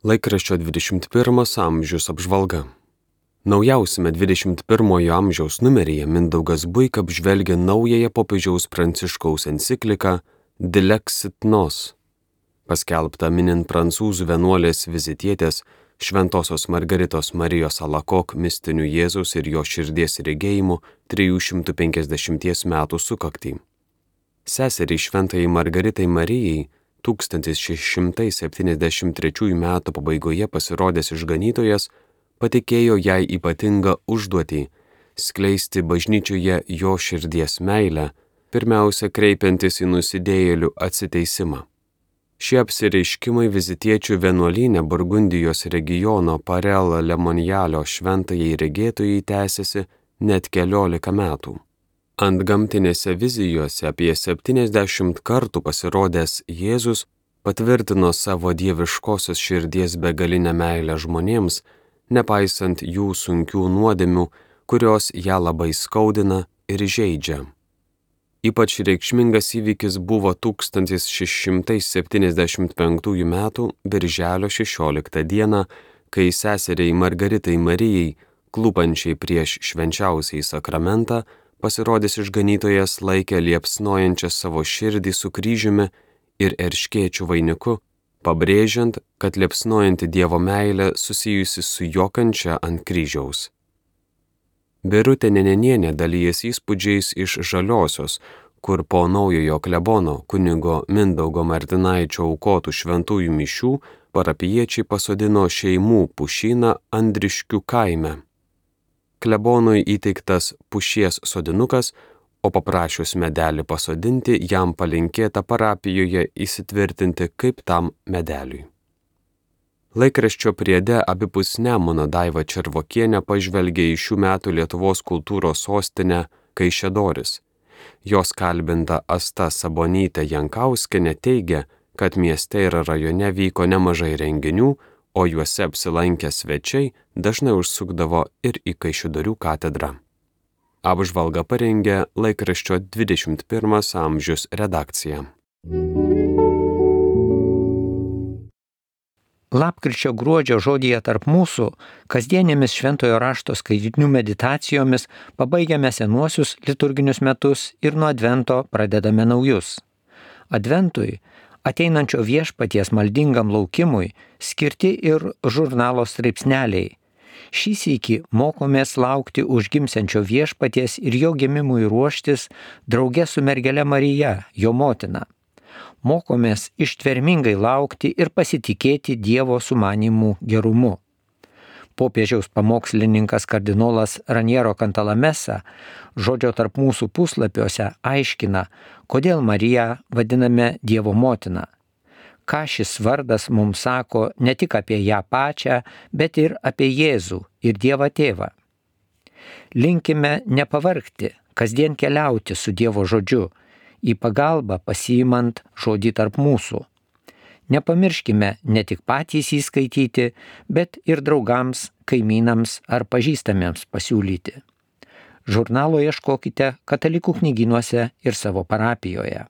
Laikraščio 21 amžius apžvalga. Naujausiame 21 amžiaus numeryje Mindaugas Buika apžvelgia naująją popiežiaus Pranciškaus encikliką Dilexit Nos, paskelbtą minint prancūzų vienuolės vizitietės Šventosios Margaritos Marijos Alakok mistinių Jėzaus ir jo širdies regėjimų 350 metų sukaktį. Seseriai Šventajai Margaritai Marijai 1673 metų pabaigoje pasirodęs išganytojas patikėjo jai ypatingą užduotį skleisti bažnyčioje jo širdies meilę, pirmiausia kreipiantis į nusidėjėlių atsiteisimą. Šie apsireiškimai vizitiečių vienuolyne Burgundijos regiono Parel Lemonjalio šventajai regėtojai tęsiasi net 14 metų. Antgamtinėse vizijose apie 70 kartų pasirodęs Jėzus patvirtino savo dieviškosios širdies begalinę meilę žmonėms, nepaisant jų sunkių nuodėmių, kurios ją labai skaudina ir žeidžia. Ypač reikšmingas įvykis buvo 1675 metų birželio 16 dieną, kai seseriai Margaritai Marijai, klūpančiai prieš švenčiausiąjį sakramentą, pasirodęs išganytojas laikė liepsnojančią savo širdį su kryžiumi ir erškėčių vainiku, pabrėžiant, kad liepsnojanti Dievo meilė susijusi su jo kančia ant kryžiaus. Birutė Nenenienė dalyjasi įspūdžiais iš Žaliosios, kur po naujojo klebono kunigo Mindaugo Martinaičio aukotų šventųjų mišių parapijiečiai pasodino šeimų pušyną Andriškių kaime. Klebonui įteiktas pušies sodinukas, o paprašius medelį pasodinti, jam palinkėta parapijoje įsitvirtinti kaip tam medeliui. Laikraščio priede abipus Nemuno Daiva Červokienė pažvelgė į šių metų Lietuvos kultūros sostinę Kaišiadoris. Jos kalbinta Asta Sabonytė Jankauskienė teigia, kad mieste ir rajone vyko nemažai renginių, o juose apsilankę svečiai dažnai užsukdavo ir į Kaišiadorių katedrą. Apžvalgą parengė laikraščio 21 amžius redakcija. Lapkričio gruodžio žodyje tarp mūsų kasdienėmis šventojo rašto skaitinių meditacijomis pabaigiame senuosius liturginius metus ir nuo Advento pradedame naujus. Adventui, ateinančio viešpaties maldingam laukimui, skirti ir žurnalo straipsneliai. Šį sykį mokomės laukti užgimsiančio viešpaties ir jo gimimui ruoštis drauge su mergele Marija, jo motina. Mokomės ištvermingai laukti ir pasitikėti Dievo sumanimų gerumu. Popiežiaus pamokslininkas kardinolas Raniero Cantalamessa žodžio tarp mūsų puslapiuose aiškina, kodėl Mariją vadiname Dievo motina. Ką šis vardas mums sako ne tik apie ją pačią, bet ir apie Jėzų ir Dievą Tėvą. Linkime nepavargti, kasdien keliauti su Dievo žodžiu, į pagalbą pasiimant žodį tarp mūsų. Nepamirškime ne tik patys įskaityti, bet ir draugams, kaimynams ar pažįstamiems pasiūlyti. Žurnalo ieškokite katalikų knygynuose ir savo parapijoje.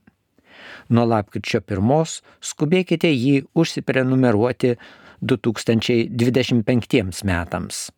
Nuo lapkričio 1 skubėkite jį užsiprenumeruoti 2025 metams.